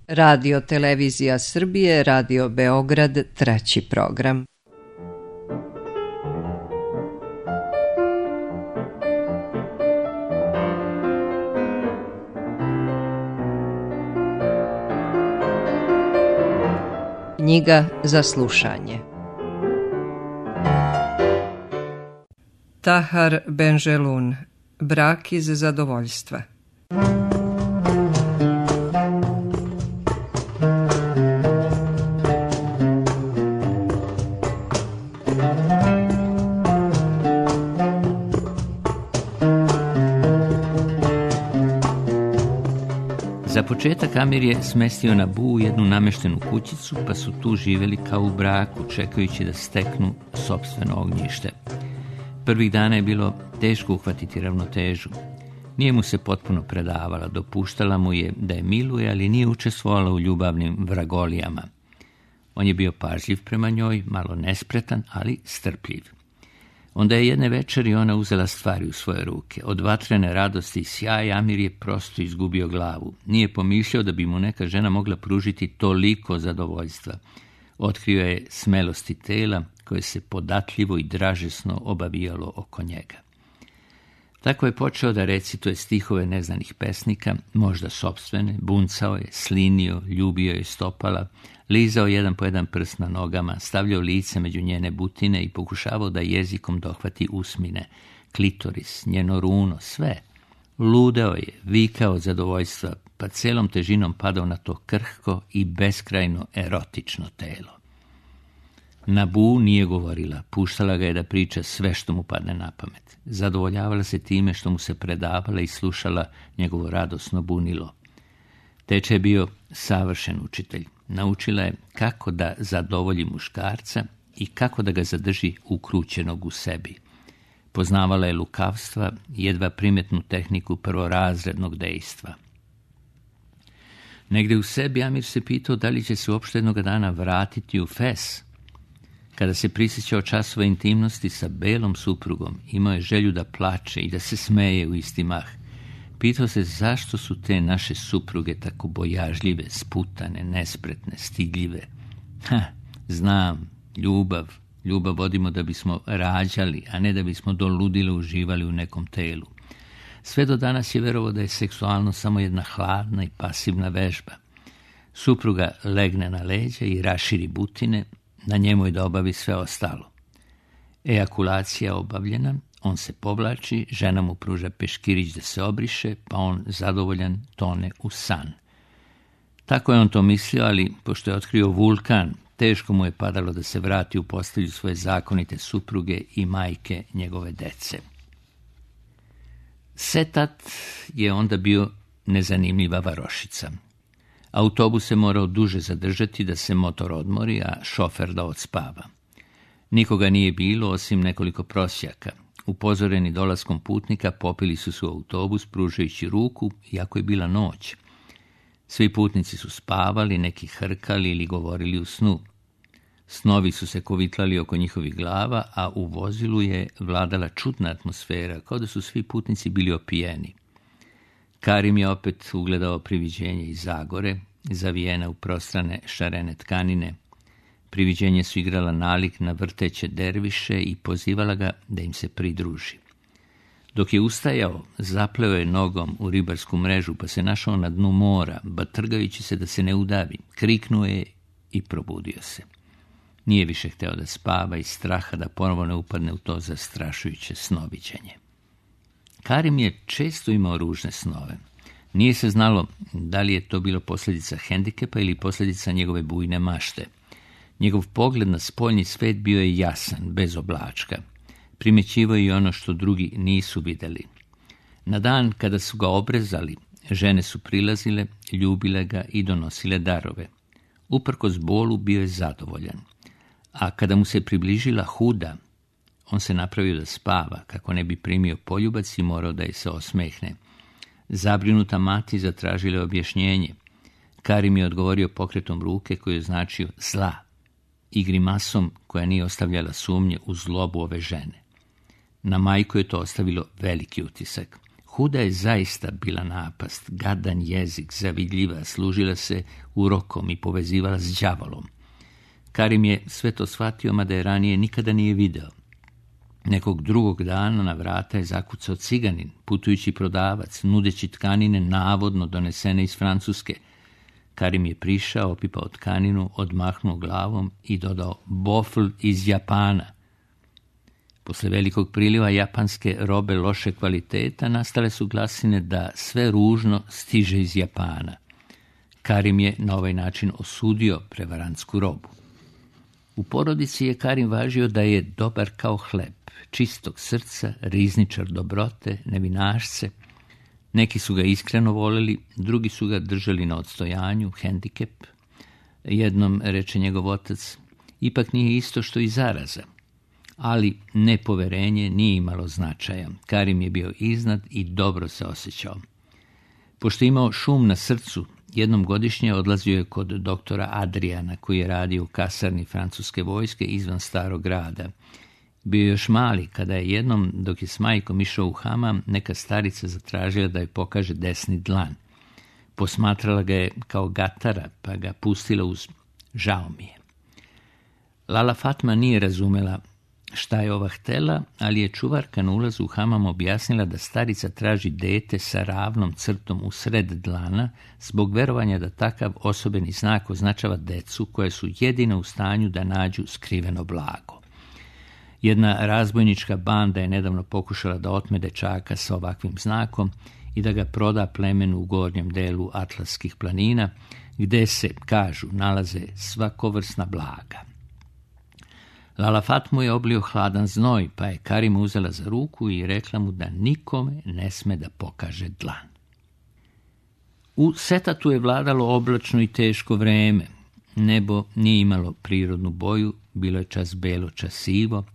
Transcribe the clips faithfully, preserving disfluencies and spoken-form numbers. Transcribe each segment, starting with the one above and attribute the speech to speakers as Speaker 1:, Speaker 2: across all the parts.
Speaker 1: Radio Televizija Srbije, Radio Beograd, treći program. Knjiga za slušanje. Tahar Benjelun, Brak iz zadovoljstva.
Speaker 2: Za početak Amir je smestio Nabu jednu nameštenu kućicu, pa su tu živjeli kao u braku, čekajući da steknu sopstveno ognjište. Prvih dana je bilo teško uhvatiti ravnotežu. Nije mu se potpuno predavala, dopuštala mu je da je miluje, ali nije učestvovala u ljubavnim vragolijama. On je bio pažljiv prema njoj, malo nespretan, ali strpljiv. Onda je jedne večeri ona uzela stvari u svoje ruke. Od vatrene radosti i sjaja Amir je prosto izgubio glavu. Nije pomišljao da bi mu neka žena mogla pružiti toliko zadovoljstva. Otkrio je smelosti tela koje se podatljivo i dražesno obavijalo oko njega. Tako je počeo da recituje stihove neznanih pesnika, možda sopstvene, buncao je, slinio, ljubio je stopala, lizao jedan po jedan prst na nogama, stavljao lice među njene butine i pokušavao da jezikom dohvati usmine, klitoris, njeno runo, sve. Ludeo je, vikao od zadovoljstva, pa celom težinom padao na to krhko i beskrajno erotično telo. Nabu nije govorila, puštala ga je da priča sve što mu padne na pamet. Zadovoljavala se time što mu se predavala i slušala njegovo radosno bunilo. Teče je bio savršen učitelj. Naučila je kako da zadovolji muškarca i kako da ga zadrži ukrućenog u sebi. Poznavala je lukavstva i jedva primetnu tehniku prvorazrednog dejstva. Negde u sebi Amir se pitao da li će se uopšte jednog dana vratiti u Fes. Kada se prisjećao časova intimnosti sa belom suprugom, imao je želju da plače i da se smeje u isti mah. Pitao se zašto su te naše supruge tako bojažljive, sputane, nespretne, stidljive. Ha, znam, ljubav, ljubav vodimo da bismo rađali, a ne da bismo do ludila uživali u nekom telu. Sve do danas je verovao da je seksualno samo jedna hladna i pasivna vežba. Supruga legne na leđa i raširi butine, na njemu je da obavi sve ostalo. Ejakulacija obavljena, on se povlači, žena mu pruža peškirić da se obriše, pa on zadovoljan tone u san. Tako je on to mislio, ali pošto je otkrio vulkan, teško mu je padalo da se vrati u postelju svoje zakonite supruge i majke njegove dece. Setat je onda bio nezanimljiva varošica. Autobus se morao duže zadržati da se motor odmori, a šofer da odspava. Nikoga nije bilo osim nekoliko prosjaka. Upozoreni dolaskom putnika popili su se u autobus pružajući ruku, iako je bila noć. Svi putnici su spavali, neki hrkali ili govorili u snu. Snovi su se kovitlali oko njihovih glava, a u vozilu je vladala čudna atmosfera, kao da su svi putnici bili opijeni. Karim je opet ugledao priviđenje iz Zagore, zavijena u prostrane šarene tkanine. Priviđenje su igrala nalik na vrteće derviše i pozivala ga da im se pridruži. Dok je ustajao, zapleo je nogom u ribarsku mrežu, pa se našao na dnu mora, batrgajući se da se ne udavi. Kriknuo je i probudio se. Nije više hteo da spava iz straha da ponovo ne upadne u to zastrašujuće snoviđenje. Karim je često imao ružne snove. Nije se znalo da li je to bilo posljedica hendikepa ili posljedica njegove bujne mašte. Njegov pogled na spoljni svet bio je jasan, bez oblačka. Primećivao je i ono što drugi nisu vidjeli. Na dan kada su ga obrezali, žene su prilazile, ljubile ga i donosile darove. Uprkos bolu bio je zadovoljan. A kada mu se približila Huda, on se napravio da spava, kako ne bi primio poljubac i morao da je se osmehne. Zabrinuta mati zatražila objašnjenje. Karim je odgovorio pokretom ruke koji je značio zla i grimasom koja nije ostavljala sumnje u zlobu ove žene. Na majku je to ostavilo veliki utisak. Huda je zaista bila napast, gadan jezik, zavidljiva, služila se urokom i povezivala s đavolom. Karim je sve to shvatio, mada je ranije nikada nije video. Nekog drugog dana na vrata je zakucao ciganin, putujući prodavac, nudeći tkanine navodno donesene iz Francuske. Karim je prišao, opipao tkaninu, odmahnuo glavom i dodao bofl iz Japana. Posle velikog priliva japanske robe loše kvaliteta nastale su glasine da sve ružno stiže iz Japana. Karim je na ovaj način osudio prevarantsku robu. U porodici je Karim važio da je dobar kao hleb, čistog srca, rizničar dobrote, nevinašce. Neki su ga iskreno voleli, drugi su ga držali na odstojanju, hendikep. Jednom reče njegov otac, ipak nije isto što i zaraza. Ali nepoverenje nije imalo značaja. Karim je bio iznad i dobro se osjećao. Pošto je imao šum na srcu, jednom godišnje odlazio je kod doktora Adriana, koji je radio u kasarni francuske vojske izvan starog grada. Bio je još mali, kada je jednom, dok je s majkom išao u hamam, neka starica zatražila da joj pokaže desni dlan. Posmatrala ga je kao gatara, pa ga pustila uz žao mi je. Lala Fatma nije razumela šta je ova htela, ali je čuvarka na ulazu u hamam objasnila da starica traži dete sa ravnom crtom u sred dlana zbog verovanja da takav osobeni znak označava decu koje su jedina u stanju da nađu skriveno blago. Jedna razbojnička banda je nedavno pokušala da otme dečaka sa ovakvim znakom i da ga proda plemenu u gornjem delu Atlaskih planina, gde se, kažu, nalaze svakovrsna blaga. Lala Fatmu je oblio hladan znoj, pa je Karim uzela za ruku i rekla mu da nikome ne sme da pokaže dlan. U Setatu je vladalo oblačno i teško vreme. Nebo nije imalo prirodnu boju, bilo je čas belo, čas sivo.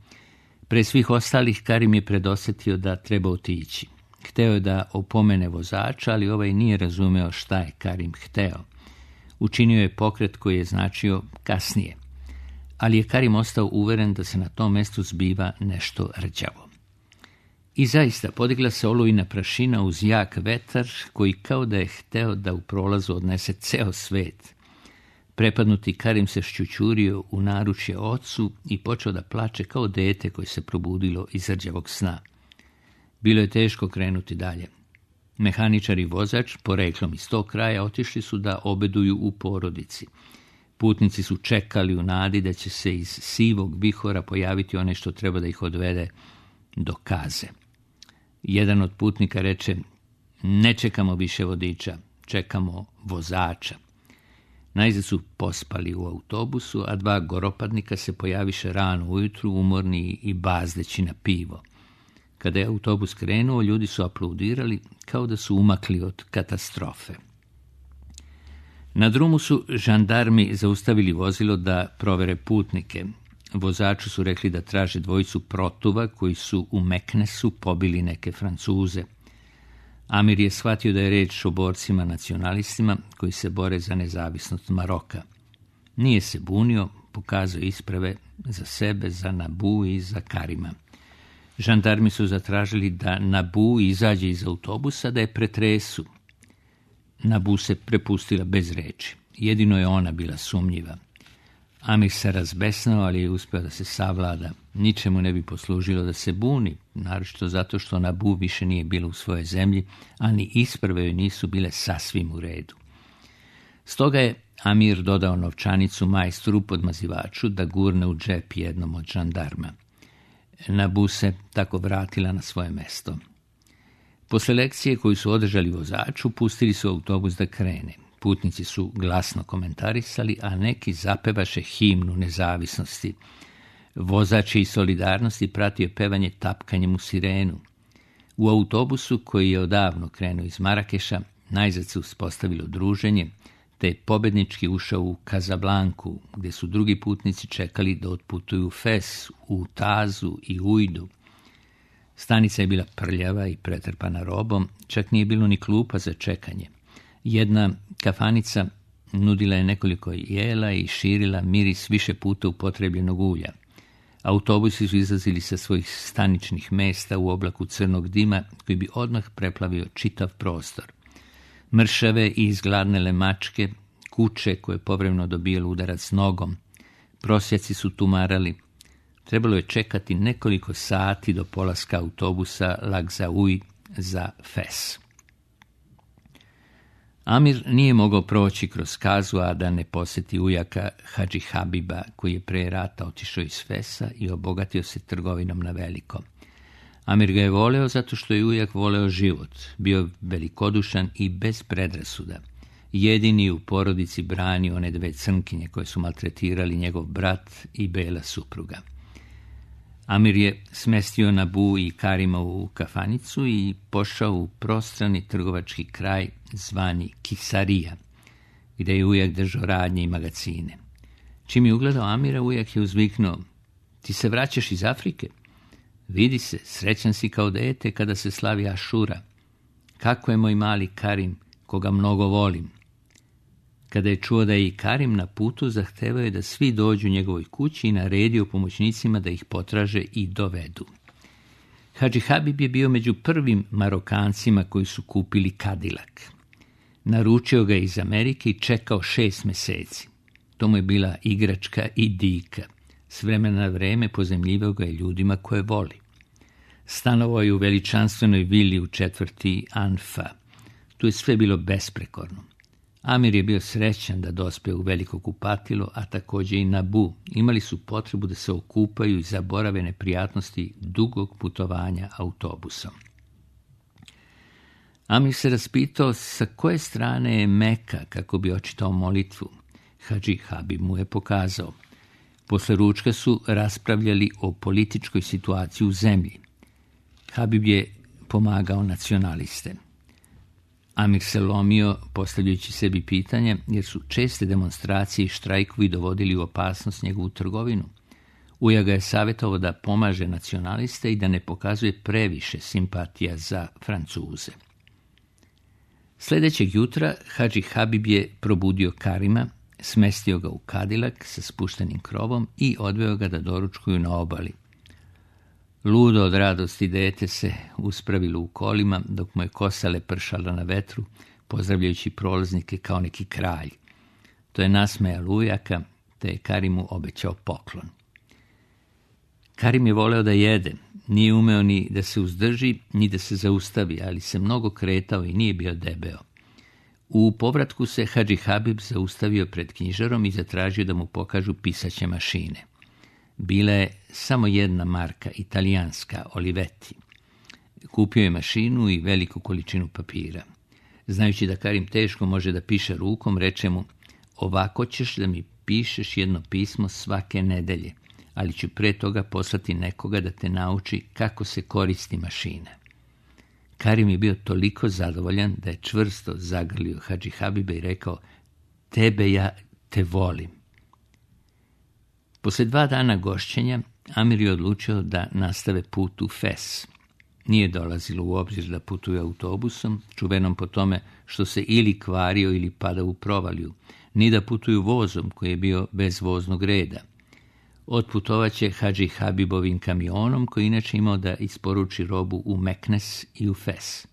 Speaker 2: Pre svih ostalih Karim je predosetio da treba otići. Hteo je da opomene vozača, ali ovaj nije razumeo šta je Karim hteo. Učinio je pokret koji je značio kasnije. Ali je Karim ostao uveren da se na tom mestu zbiva nešto rđavo. I zaista podigla se olujna prašina uz jak vetar koji kao da je hteo da u prolazu odnese ceo svet. Prepadnuti Karim se šćućurio u naručje ocu i počeo da plače kao dete koje se probudilo iz rđavog sna. Bilo je teško krenuti dalje. Mehaničar i vozač, poreklom iz tog kraja, otišli su da obeduju u porodici. Putnici su čekali u nadi da će se iz sivog vihora pojaviti onaj što treba da ih odvede do kaze. Jedan od putnika reče, ne čekamo više vodiča, čekamo vozača. Najzad su pospali u autobusu, a dva goropadnika se pojaviše rano ujutru, umorni i bazdeći na pivo. Kada je autobus krenuo, ljudi su aplaudirali kao da su umakli od katastrofe. Na drumu su žandarmi zaustavili vozilo da provere putnike. Vozaču su rekli da traže dvojicu protuva koji su u Meknesu pobili neke Francuze. Amir je shvatio da je reč o borcima nacionalistima koji se bore za nezavisnost Maroka. Nije se bunio, pokazao isprave za sebe, za Nabu i za Karima. Žandarmi su zatražili da Nabu izađe iz autobusa, da je pretresu. Nabu se prepustila bez reči. Jedino je ona bila sumnjiva. Amir se razbesnao, ali je uspeo da se savlada. Ničemu ne bi poslužilo da se buni, naročito zato što Nabu više nije bila u svojoj zemlji, a ni isprve joj nisu bile sasvim u redu. Stoga je Amir dodao novčanicu majstru podmazivaču da gurne u džep jednom od žandarma. Nabu se tako vratila na svoje mesto. Posle lekcije koju su održali vozaču, pustili su autobus da krene. Putnici su glasno komentarisali, a neki zapevaše himnu nezavisnosti. Vozač i solidarnosti pratio pevanje tapkanjem u sirenu. U autobusu, koji je odavno krenuo iz Marakeša, najzad se uspostavilo druženje, te je pobednički ušao u Kazablanku, gdje su drugi putnici čekali da otputuju u Fes, u Tazu i Ujdu. Stanica je bila prljava i pretrpana robom, čak nije bilo ni klupa za čekanje. Jedna kafanica nudila je nekoliko jela i širila miris više puta upotrebljenog ulja. Autobusi su izlazili sa svojih staničnih mesta u oblaku crnog dima koji bi odmah preplavio čitav prostor. Mršave i izgladnele mačke, kuće koje povremeno dobijalo udarac nogom, prosjaci su tumarali. Trebalo je čekati nekoliko sati do polaska autobusa Lagzauj za Fes. Amir nije mogao proći kroz Kazu, a da ne posjeti ujaka Hadži Habiba, koji je pre rata otišao iz Fesa i obogatio se trgovinom na veliko. Amir ga je voleo zato što je ujak voleo život, bio velikodušan i bez predrasuda. Jedini u porodici branio one dve crnkinje koje su maltretirali njegov brat i bela supruga. Amir je smestio Nabu i Karima u kafanicu i pošao u prostrani trgovački kraj zvani Kisarija, gdje je ujak držao radnje i magacine. Čim je ugledao Amira, ujak je uzviknuo: "Ti se vraćaš iz Afrike? Vidi se, srećan si kao dete kada se slavi Ašura. Kako je moj mali Karim, koga mnogo volim." Kada je čuo da je i Karim na putu, zahtevao je da svi dođu njegovoj kući i naredio pomoćnicima da ih potraže i dovedu. Hadži Habib je bio među prvim Marokancima koji su kupili Kadilak. Naručio ga iz Amerike i čekao šest meseci. To mu je bila igračka i dika. S vremena na vreme pozemljivao ga je ljudima koje voli. Stanovao je u veličanstvenoj vili u četvrti Anfa. Tu je sve bilo besprekorno. Amir je bio srećan da dospe u veliko kupatilo, a također i Nabu. Imali su potrebu da se okupaju i zaborave neprijatnosti dugog putovanja autobusom. Amir se raspitao sa koje strane je Meka kako bi očitao molitvu. Hadži Habib mu je pokazao. Posle ručka su raspravljali o političkoj situaciji u zemlji. Habib je pomagao nacionaliste. Amir se lomio postavljajući sebi pitanje, jer su česte demonstracije i štrajkovi dovodili u opasnost njegovu trgovinu. Uja ga je savjetovao da pomaže nacionaliste i da ne pokazuje previše simpatija za Francuze. Sljedećeg jutra Hadži Habib je probudio Karima, smestio ga u Kadilak sa spuštenim krovom i odveo ga da doručkuju na obali. Ludo od radosti dete se uspravilo u kolima, dok mu je kosa lepršala na vetru, pozdravljajući prolaznike kao neki kralj. To je nasmejalo ujaka, te je Karimu obećao poklon. Karim je voleo da jede, nije umeo ni da se uzdrži, ni da se zaustavi, ali se mnogo kretao i nije bio debeo. U povratku se Hadži Habib zaustavio pred knjižarom i zatražio da mu pokažu pisaće mašine. Bila je samo jedna marka, italijanska, Olivetti. Kupio je mašinu i veliku količinu papira. Znajući da Karim teško može da piše rukom, reče mu: "Ovako ćeš da mi pišeš jedno pismo svake nedelje, ali ću pre toga poslati nekoga da te nauči kako se koristi mašina." Karim je bio toliko zadovoljan da je čvrsto zagrlio Hadži Habiba i rekao: "Tebe ja te volim." Poslije dva dana gošćenja, Amir je odlučio da nastave put u Fes. Nije dolazilo u obzir da putuje autobusom, čuvenom po tome što se ili kvario ili pada u provaliju, ni da putuju vozom koji je bio bez voznog reda. Otputovaće Hadži Habibovim kamionom koji inače imao da isporuči robu u Meknes i u Fes.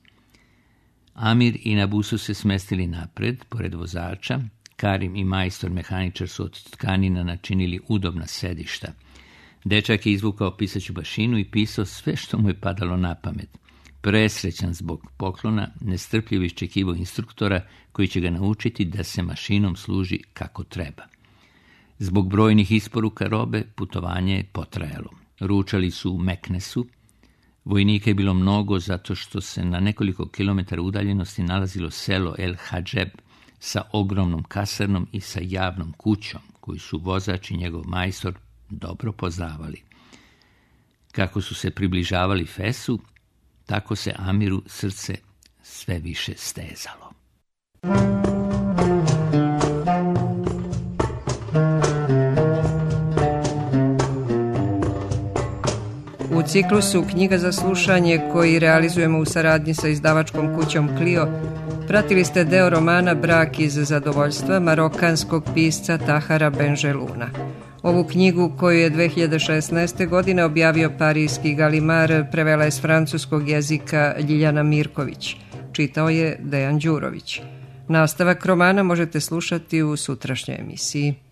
Speaker 2: Amir i Nabu su se smestili napred, pored vozača. Karim i majstor mehaničar su od tkanina načinili udobna sedišta. Dečak je izvukao pisaću mašinu i pisao sve što mu je padalo na pamet. Presrećan zbog poklona, nestrpljivo iščekivao instruktora koji će ga naučiti da se mašinom služi kako treba. Zbog brojnih isporuka robe, putovanje je potrajalo. Ručali su u Meknesu. Vojnika je bilo mnogo zato što se na nekoliko kilometara udaljenosti nalazilo selo El Hadžeb sa ogromnom kasarnom i sa javnom kućom, koju su vozač i njegov majstor dobro poznavali. Kako su se približavali Fesu, tako se Amiru srce sve više stezalo.
Speaker 1: U ciklusu Knjiga za slušanje, koji realizujemo u saradnji sa izdavačkom kućom Clio, pratili ste deo romana Brak iz zadovoljstva marokanskog pisca Tahara Benjeluna. Ovu knjigu koju je dve hiljade šesnaeste. godine objavio parijski Galimar prevela je s francuskog jezika Ljiljana Mirković. Čitao je Dejan Đurović. Nastavak romana možete slušati u sutrašnjoj emisiji.